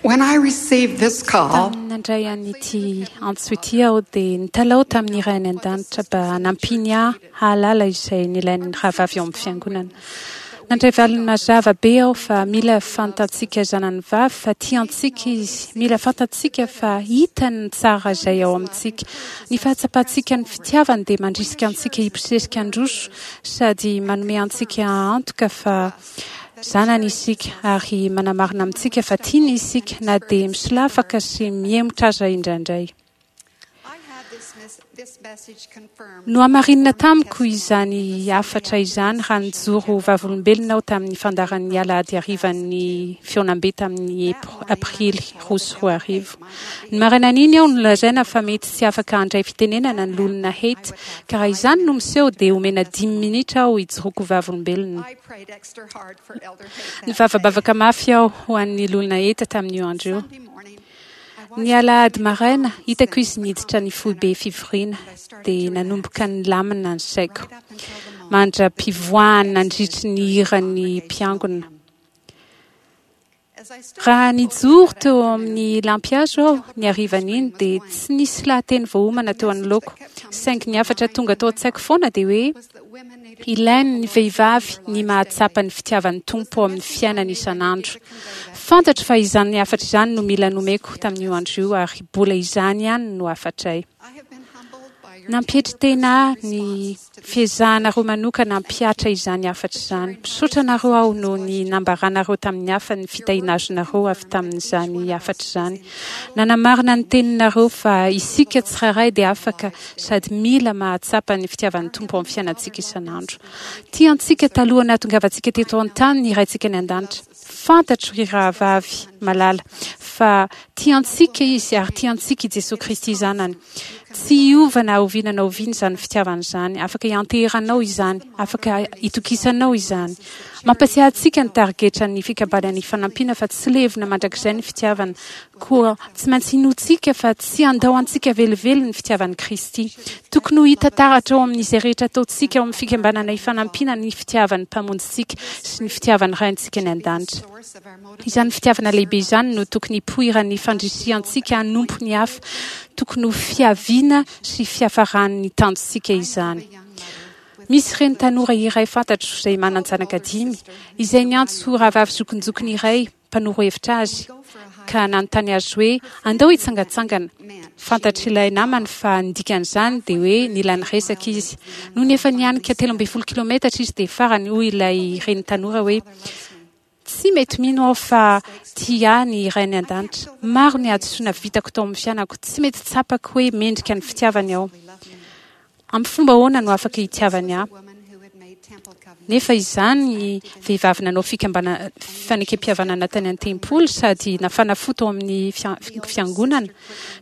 When I received this call, Tamin'ny nandray an'ity antso ity aho dia nitalaho tamin'ny Ray any An-danitra mba hanampiany ahy hahalala izay nilain'ny rahavavy ao amin'ny Fiangonana. Nandray valiny mazava be aho fa mila fantatsika zanany vavy fa tia antsika Izy, mila fantatsika fa hitany ny tsara izay ao amintsika. Ny fahatsapantsika ny fitiavany dia mandrisika antsika hibosesika handroso sady manome antsika antoka fa Zanany isika ary manamarina amintsika fa tiany isika na dia misolafaka sy mihemotra aza indraindray. Nohamarinina tamiko izany hafatra izany raha nijoro ho vavolombelona aho tamin'ny fandaharan'ny alahady harivan'ny fihaonambe tamin'ny Aprily 2002. Ny marainan'iny aho nolazaina fa mety tsy afaka handray fitenenana ny Loholona Haight, ka raha izany no miseho dia omena dimy minitra aho hijoroako ho vavolombelona. Nivavabavaka mafy aho ho an'ny Loholona Haight tamin'io andro io. Ny alahady maraina, hitako izy niditra ny foibe fivoriana, dia nanomboka nilamina ny saiko, mandra-pivoahany nandritry ny hiran'ny mpiangona. Raha nijoro teo amin'ny lampihazo aho ny harivan'iny dia tsy nisy lahateny voaomana teo anoloako, saingy ny hafatra tonga tao an-tsaiko foana dia hoe ilain'ny vehivavy ny mahatsapa ny fitiavan'ny Tompo ao amin'ny fiainany isan'andro. Fantatro fa izany hafatra izany no mila nomeko tamin'io andro io ary bola izany ihany no hafatray. Nampietry tena ahy ny fiezahanareo manokana hampihatra izany hafatra izany. Misaotra anareo aho noho ny nambaranareo tamin'ny hafa ny fitahiana azonareo avy tamin'izany hafatra izany. Nanamarina ny teninareo fa isika tsirairay dia afaka sady mila mahatsapa ny fitiavan'ny Tompo ao amin'ny fiainantsika isan'andro. Tia antsika talohan'ny nahatongavantsika teto an-tany ny Raintsika any An-danitra. Fantatro, ry rahavavy malala, fa tia antsika Izy ary tia antsika i Jesoa Kristy Zanany. Tsy hiova na oviana na oviana izany fitiavana izany. Afaka ianteheranao izany. Afaka itokisanao izany. Mampatsiahy antsika ny tarigetran'ny Fikambanana Ifanampiana fa tsy levona mandrakizay ny fitiavana. Koa tsy maintsy inoantsika fa tsy handao antsika velively ny fitiavan'i Kristy. Tokony ho hita taratra ao amin'izay rehetra ataontsika ao amin'ny Fikambanana Ifanampiana ny fitiavan'ny Mpamonjintsika sy ny fitiavan'ny Raintsika any an-danitra. Izany fitiavana lehibe izany no tokony hipoiran'ny fandrisihantsika hanompo ny hafa. Tokony ho fiaviana sy fiafaran'ny tanjontsika izany. Misy reny tanora iray fantatro izay manan-janaka dimy, izay niantso rahavavy zokinjokiny iray mpanoro hevitra azy, ka nanontany azy hoe andao hitsangantsangana. Fantatr'ilay namany fa ny dikan'izany dia hoe nila niresaka izy. Nony efa nianika 13 kilometatra izy dia farany hoy ilay reny tanora hoe, Tsy mety mino aho fa tia ahy ny Ray any An-danitra. Maro ny hadisoana vitako tao amin'ny fiainako. Tsy mety tsapako hoe mendrika ny fitiavany aho. Amin'ny fomba ahoana no afaka hitiavany ahy? Nefa izany vehivavy nanao fikambana fanekempihavanana tany an-tempoly sady nafana fo tao amin'ny fiangonana,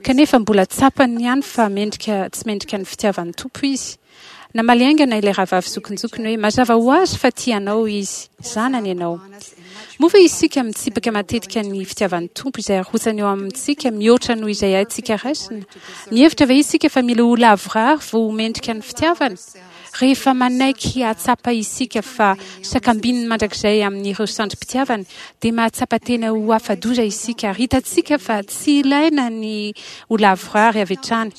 kanefa mbola tsapany ihany fa mendrika tsy mendrika ny fitiavan'ny Tompo izy. Namaly haingana ilay rahavavy zokinjokiny hoe, Mazava ho azy fa tia anao izy. Zanany ianao. Moa ve isika mitsipaka matetika ny fitiavan'ny Tompo izay arotsany eo amintsika mihoatra noho izay haintsika raisina? Mihevitra ve isika fa mila ho lavorary vao ho mendrika ny fitiavany? Rehefa manaiky hahatsapa isika fa sakambininy mandrakizay amin'ireo sandrim-pitiavany, dia mahatsapa tena ho afa-doza isika ary hitantsika fa tsy ilaina ny ho lavorary avy hatrany.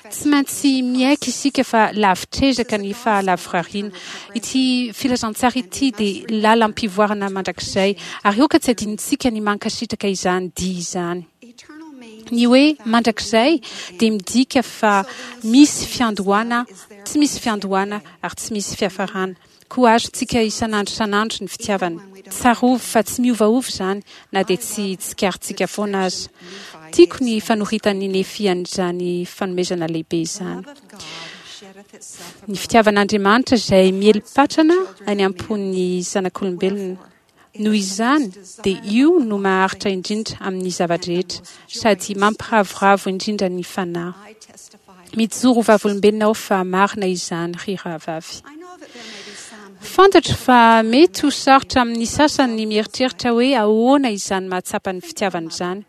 Tsy maintsy miaiky isika fa lavitr'ezaka ny fahalavorariana. Ity filazantsara ity dia lalam-pivoarana mandrakizay, ary aoka tsy adinontsika ny mankasitraka izany dia izany. Ny hoe mandrakizay dia midika fa misy fiandohana, tsy misy fiandohana ary tsy misy fiafarana. Koa azontsika isan'andro isan'andro ny fitiavana. Tsarovy fa tsy miovaova izany na dia tsy tsikaritsika foana aza. Tiako ny fanoritan'i Nefia an'izany fanomezana lehibe izany. Ny fitiavan'Andriamanitra izay miely patrana any am-pon'ny zanak'olombelona. Noho izany, dia io no maharitra indrindra amin'ny zava-drehetra, sady mampiravoravo indrindra ny fanahy. Mijoro ho vavolombelona aho fa marina izany, ry rahavavy. Fantatro fa mety ho sarotra amin'ny sasany ny mieritreritra hoe ahoana izany mahatsapa ny fitiavana izany.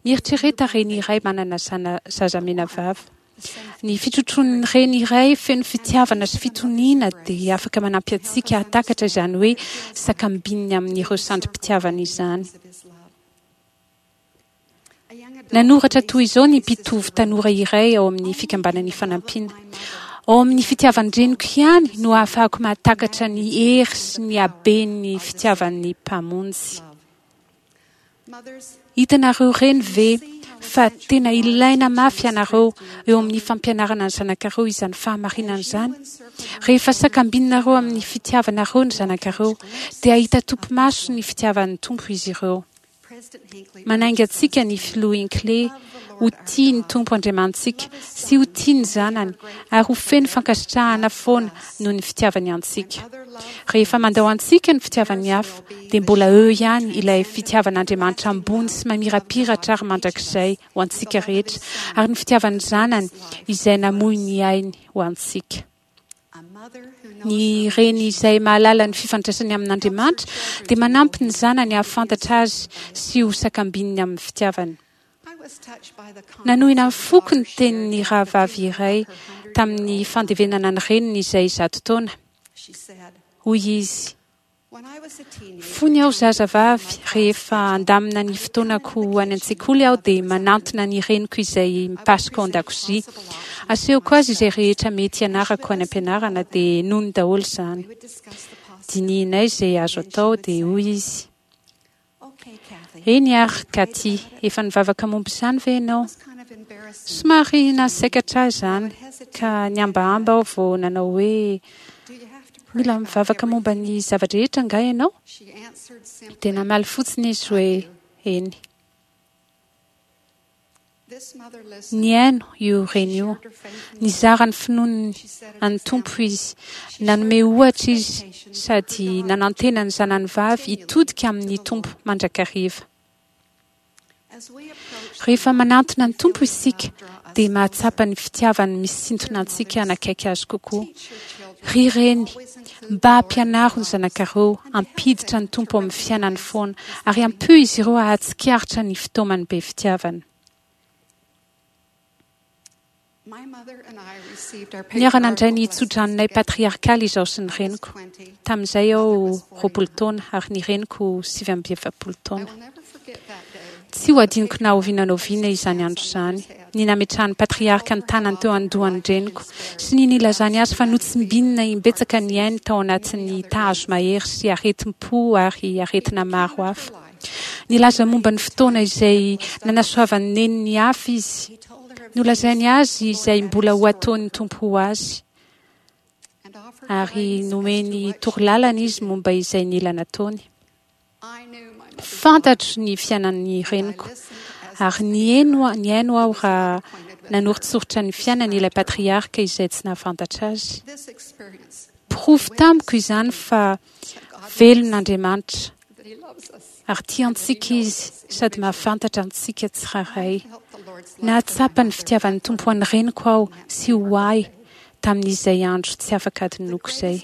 Mieritrereta reny iray manana zana-zaza menavava. Ny fitrotroan'ny reny iray feno fitiavana sy fitoniana dia afaka manampy antsika hahatakatra izany hoe sakambininy amin'ireo sandrim-pitiavana izany. Nanoratra toy izao ny mpitovo tanora iray ao amin'ny Fikambanana Ifanampiana, Ao amin'ny fitiavan-dreniko ihany no ahafahako mahatakatra ny hery sy ny haben'ny fitiavan'ny Mpamonjy. Hitanareo reny ve fa tena ilaina mafy ianareo eo amin'ny fampianarana ny zanakareo izany fahamarinana izany? Rehefa sakambininareo amin'ny fitiavanareo ny zanakareo, dia hahita topimaso ny fitiavan'ny Tompo izy ireo. Manainga antsika ny Filoha Hinckley ho tia ny Tompo Andriamanitsika sy ho tia ny Zanany ary ho feno fankasitrahana foana noho ny fitiavany antsika. Rehefa mandao antsika ny fitiavan'ny hafa, dia mbola eo ihany ilay fitiavan'Andriamanitra ambony sy mamirapiratra ary mandrakizay ho antsika rehetra ary ny fitiavan'ny Zanany izay namoy ny ainy ho antsika. Ny reny izay mahalala ny fifandraisany amin'Andriamanitra dia manampy ny zanany hahafantatra Azy sy ho sakambininy amin'ny fitiavany. Nanohina ny foko ny tenin'ny rahavavy iray tamin'ny fandevenana ny reniny izay zato taona. Hoy izy, Fony aho zazavavy, rehefa handamina ny fotoanako ho any an-tsekoly aho dia manantona ny reniko izay mipasoka ao an-dakozia. Asehoko azy izay rehetra mety hianarako any am-pianarana dia henoiny daholo izany. Dinihinay izay azo atao dia hoy izy, Eny ary, Kathy, efa nivavaka momba izany ve ianao? Somary nahasaikatra ahy izany, ka nihambahamba aho vao nanao hoe, Mila mivavaka momba ny zava-drehetra angaha ianao? Dia namaly fotsiny izy hoe, Eny. Nihaino io reny io. Nizara ny finoany an'ny Tompo izy. Nanome ohatra izy sady nanantena ny zanany vavy hitodika amin'ny Tompo mandrakariva. Rehefa manantona ny Tompo isika dia mahatsapa ny fitiavany misintona antsika hanakaiky Azy kokoa. Ry reny, mba ampianaro ny zanakareo hampiditra ny Tompo ao amin'ny fiainany foana ary ampio izy ireo hahatsikaritra ny fitaomany be fitiavana. Niara-nandray ny tsodranonay patriarkaly izaho sy ny reniko. Tamin'izay aho 20 taona ary ny reniko 49 taona. Tsy ho adinoko na oviana na oviana izany andro izany, ny nametrahan'ny patriarka ny tanany teo an-dohan'ny reniko sy ny nilazany azy fa notsimbinina imbetsaka ny ainy tao anatin'ny tazo mahery sy aretim-po ary aretina maro hafa. Nilaza momba ny fotoana izay nanasoavan'i Neny ny hafa izy. Nolazainy azy izay mbola ho ataon'ny Tompo ho azy, ary nomeny torolalana izy momba izay nila nataony. Fantatro ny fiainan'ny reniko, ary nihaino nihaino aho raha nanoritsoritra ny fiainany ilay patriarka izay tsy nahafantatra azy. Porofo tamiko izany fa velona Andriamanitra ary tia antsika Izy sady mahafantatra antsika tsirairay. Nahatsapa ny fitiavan'ny Tompo an'ny reniko aho sy ho ahy tamin'izay andro tsy afaka adinoko izay.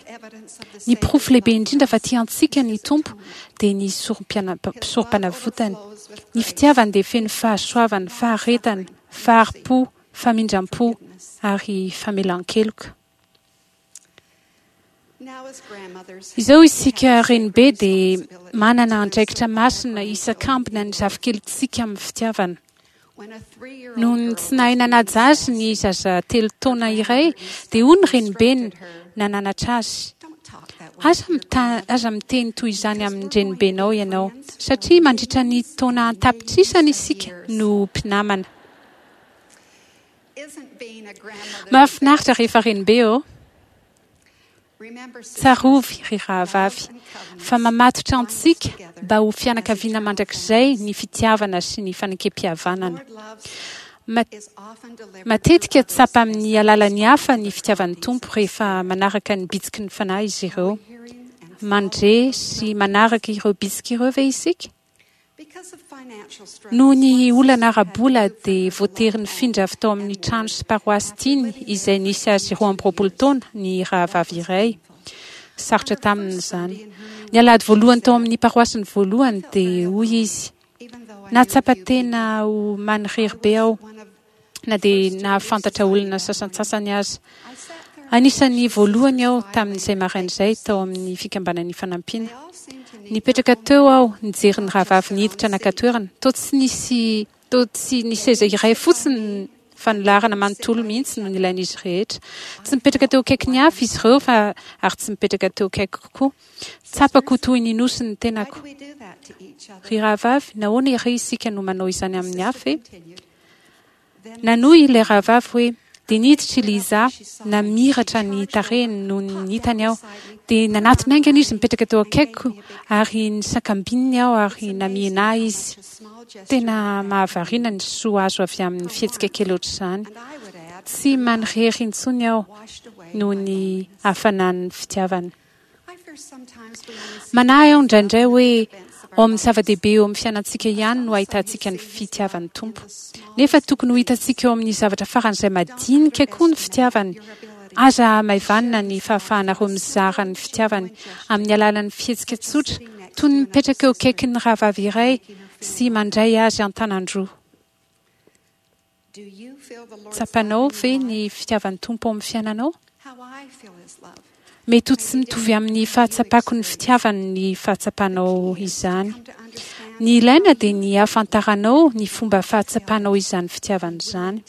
Ny porofo lehibe indrindra fa tia antsika ny Tompo dia ny sorom-panavotany. Ny fitiavany dia feno fahasoavana, faharetana, fahari-po, famindram-po ary famelan-keloka. Izao isika renibe dia manana andraikitra masina hisakambina ny zafikelintsika amin'ny fitiavana. Noho ny tsy nahay nanaja azy ny zaza telo taona iray dia hoy ny renibeny nananatra azy, Aza aza miteny toy izany amin'ny renibenao ianao, satria mandritra ny taona an-tapitrisany isika no mpinamana. Mahafinaritra rehefa renibe ô! Tsarovy, ry rahavavy, fa mamatotra antsika mba ho fianakaviana mandrakizay ny fitiavana sy ny fanekempihavanana. Matetika tsapa amin'ny alalan'ny hafa ny fitiavan'ny Tompo rehefa manaraka ny bitsiky ny Fanahy izy ireo. Mandre sy manaraka ireo bitsika ireo ve isika? Noho ny olana ara-bola dia voatery nifindra avy tao amin'ny trano sy paroasy tiany izay nisy azy 22 taona ny rahavavy iray. Sarotra taminy izany. Ny alahady voalohany tao amin'ny paroasiny voalohany dia hoy izy, Nahatsapa tena ho manirery be aho. na dia nahafantatra olona sasantsasany aza. Anisan'ny voalohany aho tamin'izay maraina izay tao amin'ny Fikambanan'ny Fanampiana. Nipetraka teo aho nijery ny rahavavy niditra naka toerana, toa tsy nisy Toa tsy ny seza iray fotsiny fa ny laharana manontolo mihitsy no nilain'izy rehetra. Tsy nipetraka teo akaikin'ny hafa izy ireo fa ary tsy nipetraka teo akaikiko koa. Tsapako ho toy ny nosy ny tenako. Ry rahavavy, nahoana ery isika no manao izany amin'ny hafa e? Nanohy ilay rahavavy hoe, Dia niditra i Liza, namiratra ny tarehiny nony hitany aho. Dia nanatona haingana izy nipetraka teo akaikiko ary nisakambininy aho ary namihina ahy izy. Tena mahavariana ny soa azo avy amin'ny fihetsika kely ohatr'izany. Tsy manirery intsony aho noho ny hafanan'ny fitiavany. Manahy aho indraindray hoe ao amin'ny zava-dehibe eo amin'ny fiainantsika ihany no ahitantsika ny fitiavan'ny Tompo. Nefa tokony ho hitantsika eo amin'ny zavatra faran'izay madinika koa ny fitiavany. Aza hamaivanina ny fahafahanareo mizara ny fitiavany amin'ny alalan'ny fihetsika tsotra, toy ny mipetraka eo akaikin'ny rahavavy iray sy mandray azy an-tanan-droa. Tsapanao ve ny fitiavan'ny Tompo ao amin'ny fiainanao? Mety ho tsy mitovy amin'ny fahatsapako ny fitiavany ny fahatsapanao izany. Ny ilaina dia ny hahafantaranao ny fomba fahatsapanao izany fitiavana izany.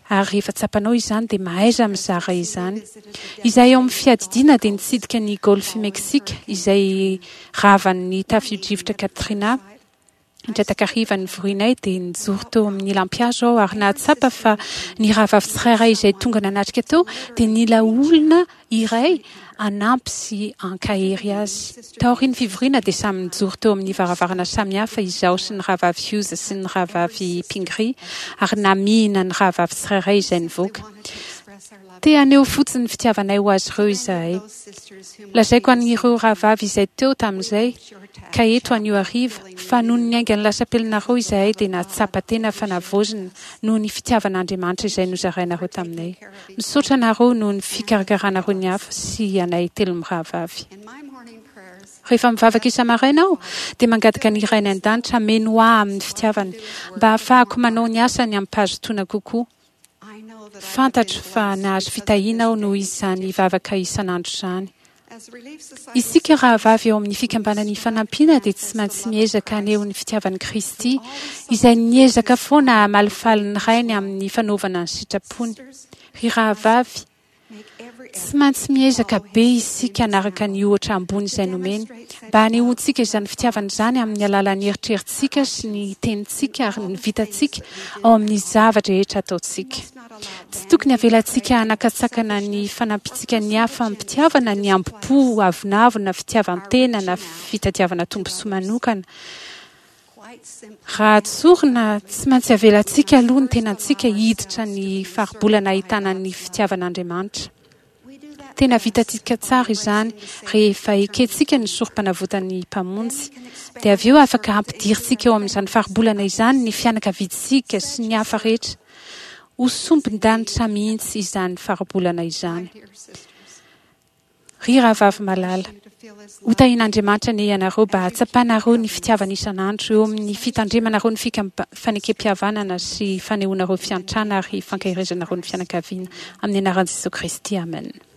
Ary rehefa tsapanao izany dia mahaiza mizara izany. Izahay ao amin'ny fiadidiana dia nitsidika ny Golfe Mexique izay ravan'ny tafio-drivotra Katrina. Indray takariva nivorianay dia nijoro teo amin'ny lampihazo aho ary nahatsapa fa ny rahavavy tsirairay izay tonga nanatrika teo dia nila olona iray hanampy sy hankahery azy. Taorian'ny fivoriana dia samy nijoro teo amin'ny varavarana samihafa izaho sy ny rahavavy Hughes sy ny rahavavy Pingree ary namihina ny rahavavy tsirairay izay nivoaka. Te haneho fotsiny ny fitiavanay ho azy ireo izahay. Lazaiko an'ireo rahavavy izay teo tamin'izay, ka eto anio hariva, fa nony niainga ny lasapelinareo izahay dia nahatsapa tena fa navaozina noho ny fitiavan'Andriamanitra izay nozarainareo taminay. Misaotra anareo noho ny fikarakaranareo ny hafa sy anay telomirahavavy. Rehefa mivavaka isa-maraina aho, dia mangataka ny Rainy An-danitra hameno ahy amin'ny fitiavany, mba hahafahako manao ny asany amim-pahazotoana kokoa. Fantatro fa nahazo fitahiana aho noho izany vavaka isan'andro izany. Isika rahavavy ao amin'ny Fikambanana Ifanampiana dia tsy maintsy miezaka haneho ny fitiavan'i Kristy, izay niezaka foana hamalifaly ny Rainy amin'ny fanaovana ny sitrapony. Ry rahavavy, Tsy maintsy miezaka be isika hanaraka ny ohatra ambony izay nomeny, mba hanehoantsika izany fitiavana izany amin'ny alalan'ny eritreritsika sy ny tenintsika ary ny vitantsika ao amin'ny zava-drehetra ataontsika. Tsy tokony havelantsika hanakatsakana ny fanampiantsika ny hafa amim-pitiavana ny hambom-po, avonavona, fitiavan-tena na fitadiavana tombontsoa manokana. Raha tsorina, tsy maintsy avelantsika aloha ny tenantsika hiditra ny faribolana ahitana ny fitiavan'Andriamanitra. Tena vitantsika tsara izany rehefa ekentsika ny sorompanavotan'ny Mpamonjy. Dia avy eo afaka hampidirintsika eo amin'izany faribolana izany ny fianakaviantsika sy ny hafa rehetra. Ho sombin-danitra mihitsy izany faribolana izany. Ry rahavavy malala, ho tahian'Andriamanitra anie ianareo mba hahatsapanareo ny fitiavany isan'andro eo amin'ny fitandremanareo ny fanekem-pihavanana sy fanehoanareo fiantrana ary fankaherezanareo ny fianakaviana. Amin'ny anaran'i Jesoa Kristy, amena.